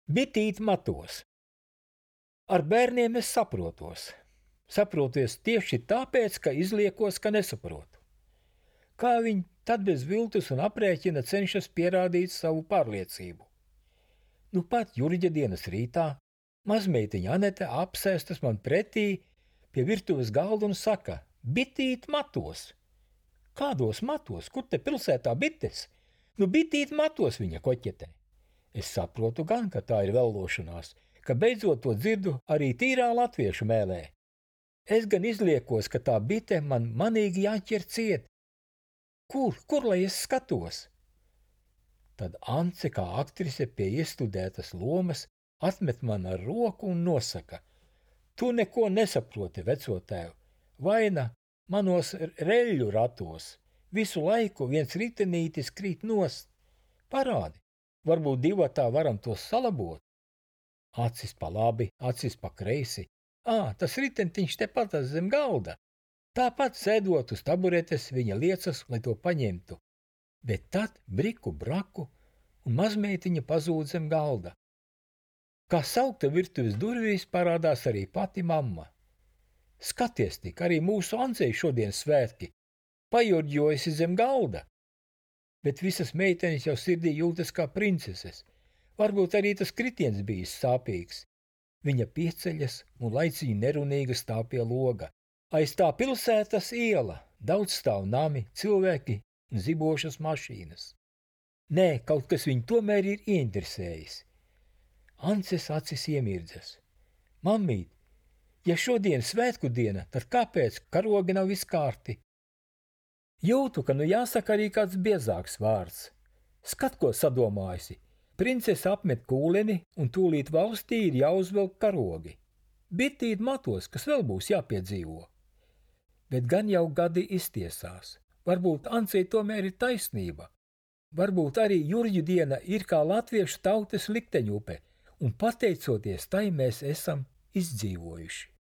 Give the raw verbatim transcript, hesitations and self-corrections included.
Bitīt matos. Ar bērniem es saprotos. Saproties tieši tāpēc, ka izliekos, ka nesaprotu. Kā viņi tad bez viltus un aprēķina cenšas pierādīt savu pārliecību. Nu pat Jurģa dienas rītā mazmeitiņa Anete apsēstas man pretī pie virtuves galda un saka: bitīt matos. Kādos matos? Kur te pilsētā bites? Nu bitīt matos, viņa koķetē. Es saprotu gan, ka tā ir vellošanās, ka beidzot to dzirdu arī tīrā latviešu mēlē. Es gan izliekos, ka tā bite man manīgi jāķer ciet. Kur, kur lai es skatos? Tad Ance, kā aktrise pie iestudētas lomas, atmet man ar roku un nosaka: tu neko nesaproti, veco tēvu, vaina manos reļļu ratos, visu laiku viens ritenītis krīt nost. Parādi, varbūt divatā varam tos salabot. Acis pa labi, acis pa kreisi. Ā, tas ritentiņš tepat zem galda. Tāpat sēdot uz taburetes viņa liecas, lai to paņemtu. Bet tad briku braku un mazmeitiņa pazūd zem galda. Kā saukta virtuves durvīs parādās arī pati mamma. Skaties tik, arī mūsu Ancei šodien svētki, pajurģojusi zem galda. Bet visas meitenes jau sirdī jūtas kā princeses. Varbūt arī tas kritiens bijis sāpīgs. Viņa pieceļas un laicīgi nerunīga stāv pie loga. Aiz tā pilsētas iela, daudz stāv nami, cilvēki un zibošas mašīnas. Nē, kaut kas viņu tomēr ir ieinteresējis. Ances acis iemirdzas. Mammīt, ja šodien svētku diena, tad kāpēc karogi nav viskārti? Jūtu, ka nu jāsaka arī kāds biezāks vārds. Skat, ko sadomājusi. Princese apmet kūleni un tūlīt valstī ir jāuzvelk karogi. Bitīt matos, kas vēl būs jāpiedzīvo. Bet gan jau gadi iztiesās. Varbūt Ancei tomēr ir taisnība. Varbūt arī Jurģu diena ir kā latviešu tautas likteņupe, un pateicoties tai mēs esam izdzīvojuši.